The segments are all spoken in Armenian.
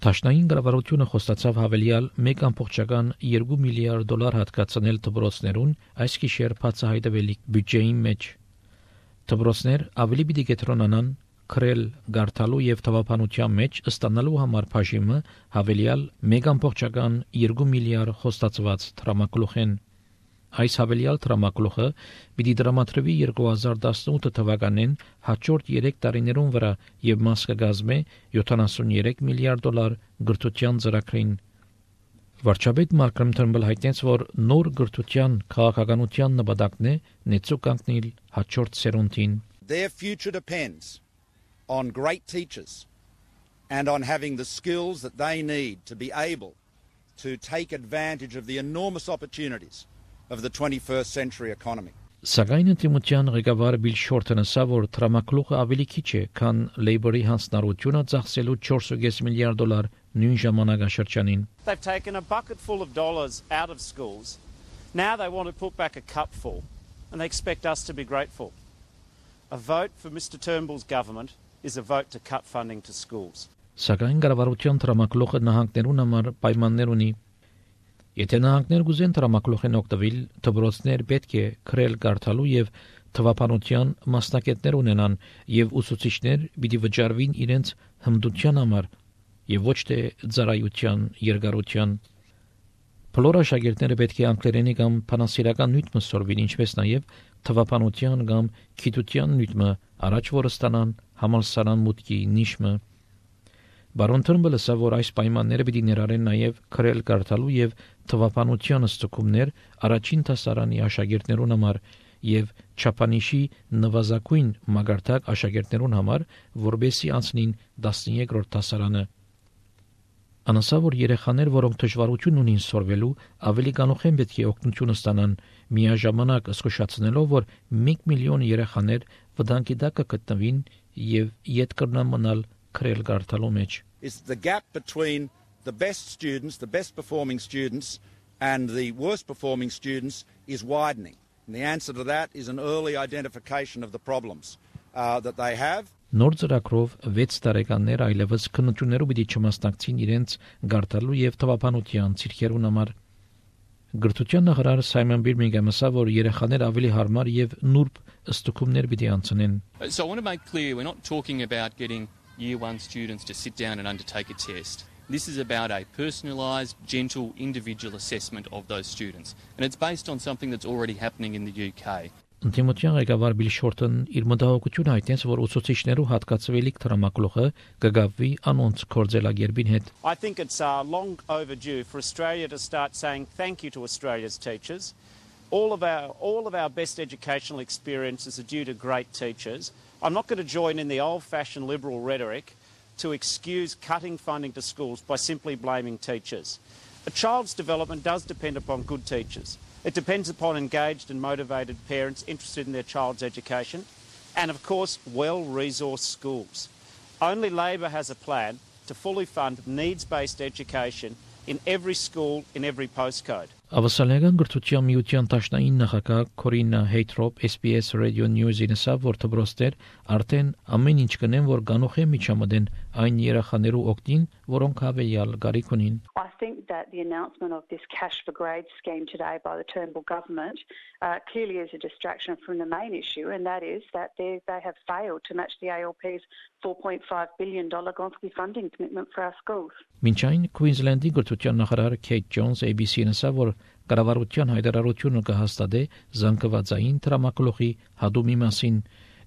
Տաշնային կառավարությունը խոստացավ հավելյալ 1.2 միլիարդ դոլար հատկացնել դպրոցներուն այս գիշեր բացահայտվելիք բյուջեի մեջ։ Դպրոցներ ավելի պիտի կենտրոնանան քրել գարթալու եւ թվապանության մեջ ստանալու համար բաժիմը հավելյալ 1.2 միլիարդ խոստացված տրամակլուխեն։ Այս հավելյալ տրամակլուխը պիտի դրամատրվի 2018 թվականին հաջորդ 3 տարիներուն վրա եւ մաս կգազմե 73 միլիարդ դոլար գրթության ծրագրին։ Վարչապետ Մալկոմ Թըրնբլ հայտնեց, որ նոր գրթության քաղաքականության նպատակն է նեցու կանգնել հաջորդ սերունդին։ Their future depends on great teachers and on having the skills that they need to be able to take advantage of the enormous opportunities of the 21st century economy. Սակայն ընդդիմության ղեկավար Բիլ Շորթոնը ասա, որ տրամակլուխը ավելի քիչ է, քան Լեյբորի հանձնառությունը ծախսելու 4.5 միլիարդ դոլար նույն ժամանակաշրջանին։ They've taken a bucket full of dollars out of schools. Now they want to put back a cup full and they expect us to be grateful. A vote for Mr Turnbull's government is a vote to cut funding to schools. Սակայն կառավարության տրամակլուխը նահանգներուն համար պայմաններ ունի։ Եթե նահանգներ գուզեն տրամակլուխեն օգտվել, դպրոցներ պետք է քրել գարթալու եւ թվապանության մասնակիցներ ունենան եւ ուսուցիչներ պիտի վճարվին իրենց հմտության համար եւ ոչ թե ծառայության երկարության։ Բոլոր աշակերտները պետք է անգլերենի կամ բանասիրական նյութը սորվին, ինչպես նաեւ թվապանության կամ գիտության նյութը առաջ որ ստանան համալսարան մուտքի նիշը։ Բարոն Թըրնբլը ասա, որ այս պայմանները պիտի ներառեն նաև քրել կարդալու եւ թվապանության ստուգումներ առաջին դասարանի աշակերտներուն համար եւ չափանիշի նվազագույն մագարտակ աշակերտներուն համար, որբեսի անցնին 13-րդ դասարանը։ Անասա, որ երեխաներ, որոնք դժվարություն ունին սորվելու, ավելի կանուխեն պետք է օգնություն ստանան, միաժամանակ զսկուշացնելով, որ 1 միլիոն երեխաներ վտանգի տակ կգտնվին եւ իդ կրնան մնալ քրել գարտալու մեջ։ Is the gap between the best students, the best performing students and the worst performing students is widening. And the answer to that is an early identification of the problems that they have. Նոր ծրագրով 6 տարեկաններ այլևս քննություններով պիտի չմասնակցին իրենց գարտալու եւ թվապանության ցիրքերուն համար։ Գրթության նախարար Սայմոն Բիրմինգհամը ասա, որ երեխաներ ավելի հարմար եւ նուրբ ստուգումներ պիտի անցնեն։ So I want to make clear we're not talking about getting Year 1 students to sit down and undertake a test. This is about a personalised, gentle, individual assessment of those students. And it's based on something that's already happening in the UK. Ընդդիմության ղեկավար Բիլ Շորթոն իր մտահոգությունը հայտնեց, որ ուսուցիչներու հատկացվելիք տրամակլուխը կգավվի անոնց կորձելագերբին հետ։ I think it's long overdue for Australia to start saying thank you to Australia's teachers. All of our best educational experiences are due to great teachers. I'm not going to join in the old-fashioned liberal rhetoric to excuse cutting funding to schools by simply blaming teachers. A child's development does depend upon good teachers. It depends upon engaged and motivated parents interested in their child's education and, of course, well-resourced schools. Only Labor has a plan to fully fund needs-based education in every school, in every postcode. Ավասալական գրթության միության տաշնային նախագահ Կորինա Հեյթրոփ SBS Radio News-ին ասավ, որ դպրոցներ արդեն ամեն ինչ կնեն, որ գանոխե միջամտեն այն երեխաներու օգտին, որոնք հավելյալ գարիք ունին։ I think that the announcement of this cash for grades scheme today by the Turnbull government clearly is a distraction from the main issue, and that is that they have failed to match the ALP's $4.5 billion Gonski funding commitment for our schools. Մինչ այն Queensland-ի գրթության նախարար Քեյթ Ջոնս ABC-ին ասավ, որ կառավարության հայտարարությունը կհաստատե զանգվածային տրամակլուխի հադումի մասին։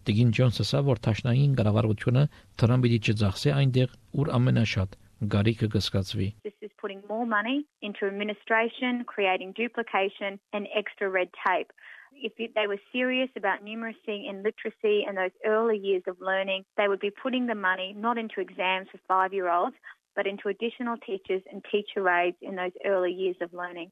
Դիգին Ջոնսը ասավ, որ տաշնային կառավարությունը Թրամփի չձախսե այնտեղ, ուր ամենաշատ գարիքը կսկացվի։ This is putting more money into administration, creating duplication and extra red tape. If they were serious about numeracy and literacy and those early years of learning, they would be putting the money not into exams for 5-year-olds, but into additional teachers and teacher aides in those early years of learning.